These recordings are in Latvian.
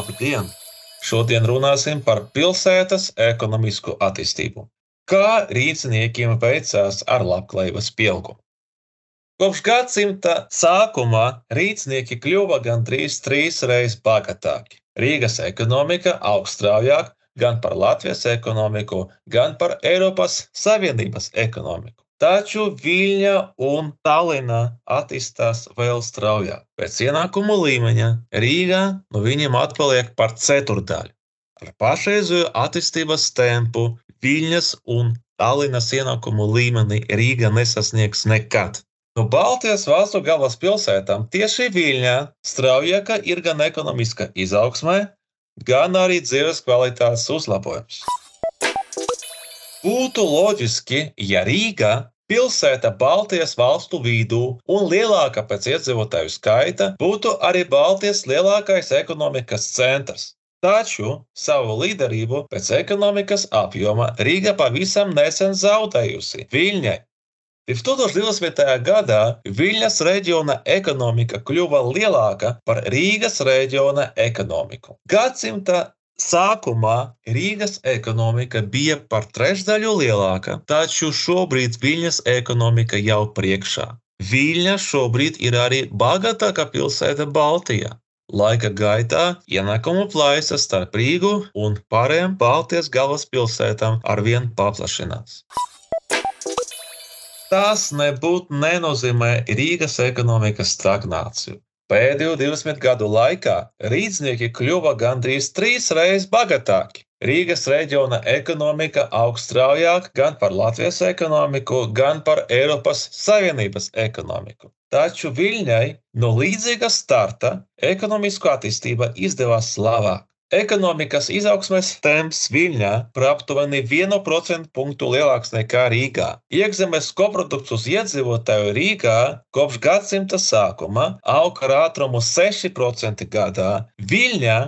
Labdien! Šodien runāsim par pilsētas ekonomisku attīstību. Kā rīzniekiem veicās ar labklājības pieaugumu? Kopš gadsimta sākuma rīznieki kļuva gandrīz 3 reizes bagātāki. Rīgas ekonomika aug straujāk gan par Latvijas ekonomiku, gan par Eiropas Savienības ekonomiku. Taču Viļņa un Tallinā attīstās vēl straujāk. Pēc ienākumu līmeņa Rīgā no viņiem atpaliek par ceturdaļu. Ar pašreizējo attīstības tempu Viļņas un Tallinas ienākumu līmeni Rīga nesasniegs nekad. No Baltijas valstu galvaspilsētām tieši Viļņā straujāka ir gan ekonomiska izaugsme, gan arī dzīves kvalitātes uzlabojums. Būtu loģiski, ja Rīga, pilsēta Baltijas valstu vidū un lielāka pēc iedzīvotāju skaita, būtu arī Baltijas lielākais ekonomikas centrs. Taču savu līderību pēc ekonomikas apjoma Rīga pavisam nesen zaudējusi Viļņai. 2020. gadā Viļņas reģiona ekonomika kļuva lielāka par Rīgas reģiona ekonomiku. Gadsimta sākumā Rīgas ekonomika bija par trešdaļu lielāka, taču šobrīd Viļņas ekonomika jau priekšā. Viļņa šobrīd ir arī bagātākā pilsēta Baltijā. Laika gaitā ienākumu plaisa starp Rīgu un pārējām Baltijas galvaspilsētām arvien paplašinās. Tas nebūtu nenozīmē Rīgas ekonomikas stagnāciju. Pēdējo 20 gadu laikā rīznieki kļuva gandrīz 3 reizes bagātāki. Rīgas reģiona ekonomika aug straujāk gan par Latvijas ekonomiku, gan par Eiropas Savienības ekonomiku. Taču Viļņai no līdzīga starta ekonomisko attīstība izdevās labāk. Ekonomikas izaugsmes temps Viļņā par aptuveni 1% punktu lielāks nekā Rīgā. Iekšzemes koprodukts uz iedzīvotāju Rīgā kopš gadsimta sākuma aug ar ātrumu 6% gadā, Viļņā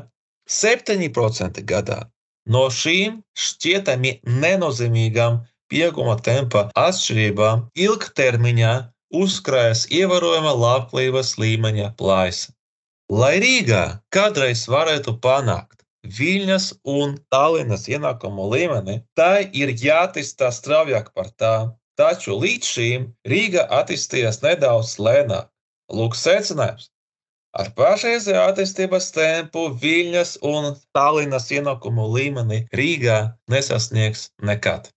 7% gadā. No šīm šķietami nenozīmīgām pieauguma tempa atšķirībām ilgtermiņā uzkrājas ievērojama labklājības līmeņa plaisa. Lai Rīgā kādreiz varētu panākt Viļņas un Tallinas ienākumu līmeni, tai ir jāattīstās straujāk par tām, taču līdz šīm Rīga attīstījās nedaudz lēnāk. Lūk secinājums. Ar pašreizējo attīstības tempu Viļņas un Tallinas ienākumu līmeni Rīgā nesasniegs nekad.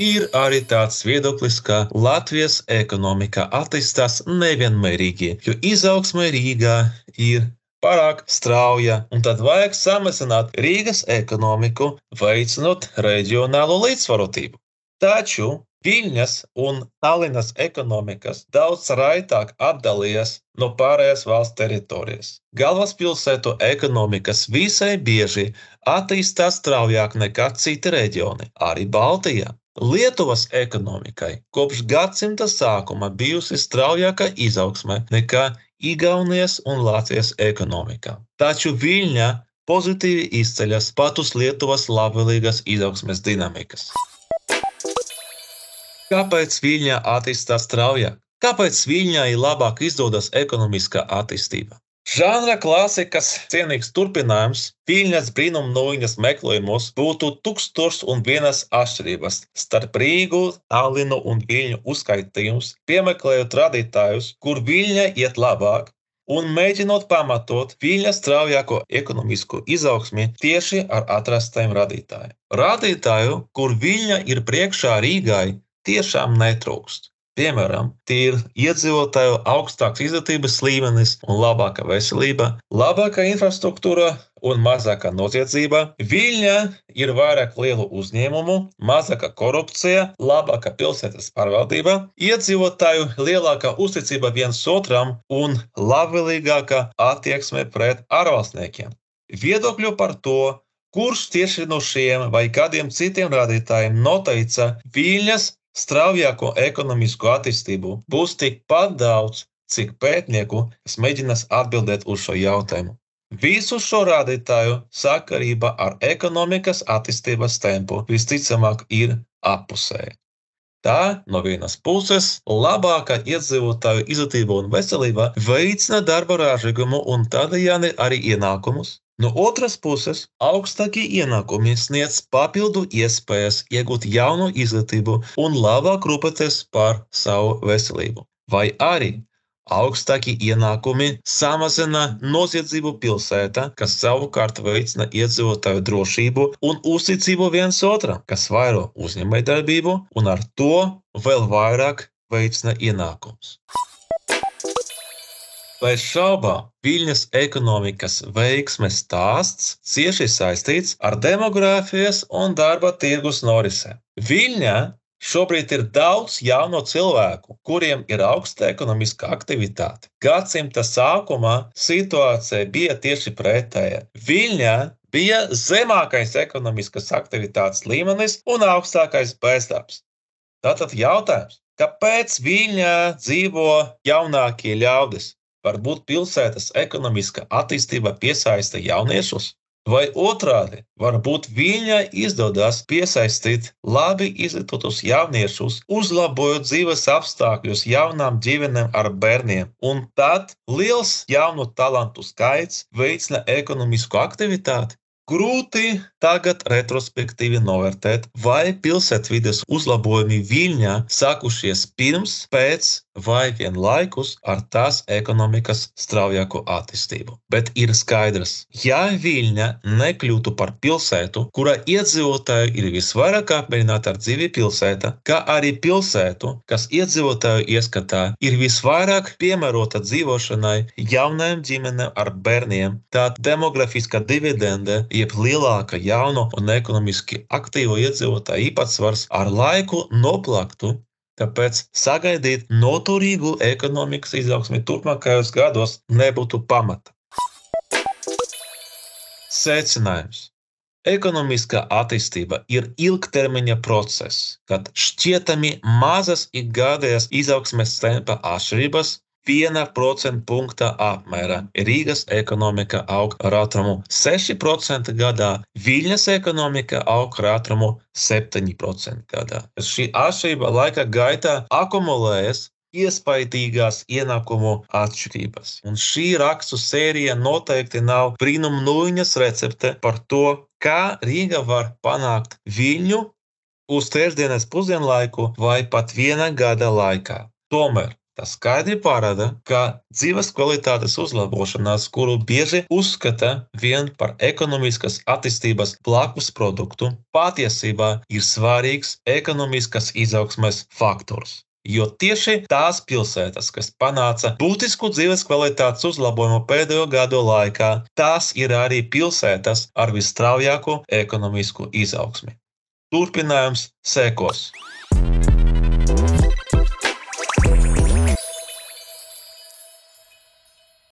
Ir arī tāds viedoklis, ka Latvijas ekonomika attīstās nevienmērīgi, jo izaugsme Rīgā ir pārāk strauja, un tad vajag samazināt Rīgas ekonomiku, veicinot reģionālo līdzsvarotību. Taču Viļņas un Tallinas ekonomikas daudz raitāk atdalījas no pārējās valsts teritorijas. Galvaspilsētu ekonomikas visai bieži attīstās straujāk nekā citi reģioni, arī Baltijā. Lietuvas ekonomikai kopš gadsimta sākuma bijusi straujāka izaugsme nekā Igaunijas un Latvijas ekonomikā. Taču Viļņa pozitīvi izceļas pat uz Lietuvas labvēlīgas izaugsmes dinamikas. Kāpēc Viļņa attīstās straujāk? Kāpēc Viļņai labāk izdodas ekonomiskā attīstība? Žanra klasikas cienīgs turpinājums Viļņas brīnumnūjiņas meklējumos būtu 1001 atšķirības starp Rīgu, Tallinu un Viļņu uzskaitījums, piemeklējot radītājus, kur Viļņa iet labāk, un mēģinot pamatot Viļņas straujāko ekonomisku izaugsmi tieši ar atrastajiem radītājiem. Radītāju, kur Viļņa ir priekšā Rīgai, tiešām netrūkst. Piemēram, tie ir iedzīvotāju augstāks izglītības līmenis un labāka veselība, labāka infrastruktūra un mazāka noziedzība. Viļņā ir vairāk lielu uzņēmumu, mazāka korupcija, labāka pilsētas pārvaldība, iedzīvotāju lielāka uzticība viens otram un labvēlīgāka attieksme pret ārvalstniekiem. Viedokļu par to, kurš tieši no šiem vai kādiem citiem rādītājiem noteica Viļņas straujāko ekonomisku attīstību, būs tikpat daudz, cik pētnieku, kas mēģinās atbildēt uz šo jautājumu. Visu šo rādītāju sakarība ar ekonomikas attīstības tempu visticamāk ir appusēja. Tā no vienas puses labāka iedzīvotāju izglītība un veselība veicina darba ražīgumu un tādējādi arī ienākumus. No otras puses, augstākie ienākumi sniedz papildu iespējas iegūt jaunu izglītību un labāk rūpēties par savu veselību. Vai arī augstākie ienākumi samazina noziedzību pilsētā, kas savukārt veicina iedzīvotāju drošību un uzticību viens otram, kas vairo uzņēmējdarbību un ar to vēl vairāk veicina ienākumus. Bez šaubām, Viļņas ekonomikas veiksmes stāsts cieši saistīts ar demogrāfijas un darba tirgus norisēm. Viļņā šobrīd ir daudz jauno cilvēku, kuriem ir augsta ekonomiska aktivitāte. Gadsimta sākumā situācija bija tieši pretēja. Viļņā bija zemākais ekonomiskas aktivitātes līmenis un augstākais bezdarbs. Tātad jautājums, kāpēc Viļņā dzīvo jaunākie ļaudis? Varbūt pilsētas ekonomiska attīstība piesaista jauniešus? Vai otrādi, varbūt Viļņai izdodas piesaistīt labi izglītotus jauniešus, uzlabojot dzīves apstākļus jaunām ģimenēm ar bērniem, un tad liels jaunu talantu skaits veicina ekonomisku aktivitāti? Grūti tagad retrospektīvi novērtēt, vai pilsētvides uzlabojumi Viļņā sākušies pirms, pēc vai vienlaikus ar tās ekonomikas straujāko attīstību. Bet ir skaidrs, ja Viļņa nekļūtu par pilsētu, kura iedzīvotāji ir visvairāk apmierināti ar dzīvi pilsētā, kā arī pilsētu, kas iedzīvotāju ieskatā ir visvairāk piemērota dzīvošanai jaunajām ģimenēm ar bērniem, tad demografiskā dividende, jeb lielāka jauno un ekonomiski aktīvo iedzīvotāju īpatsvars ar laiku noplaktu. Tāpēc sagaidīt noturīgu ekonomikas izaugsmi turpmākajos gados nebūtu pamata. Secinājums. Ekonomiskā attīstība ir ilgtermiņa process, kad šķietami mazas ikgadējas izaugsmes tempa atšķirības 1% punkta apmērā. Rīgas ekonomika aug ar ātrumu 6% gadā, Viļņas ekonomika aug ar ātrumu 7% gadā. Šī atšķirība laika gaitā akumulējas iespaidīgās ienākumu atšķirības. Un šī rakstu sērija noteikti nav brīnumnūjiņas recepte par to, kā Rīga var panākt Viļņu uz trešdienas pusdienlaiku vai pat viena gada laikā. Tomēr tas skaidri parāda, ka dzīves kvalitātes uzlabošanās, kuru bieži uzskata vien par ekonomiskas attīstības blakus produktu, patiesībā ir svarīgs ekonomiskas izaugsmes faktors. Jo tieši tās pilsētas, kas panāca būtisku dzīves kvalitātes uzlabojumu pēdējo gadu laikā, tās ir arī pilsētas ar visstraujāko ekonomisku izaugsmi. Turpinājums sekos.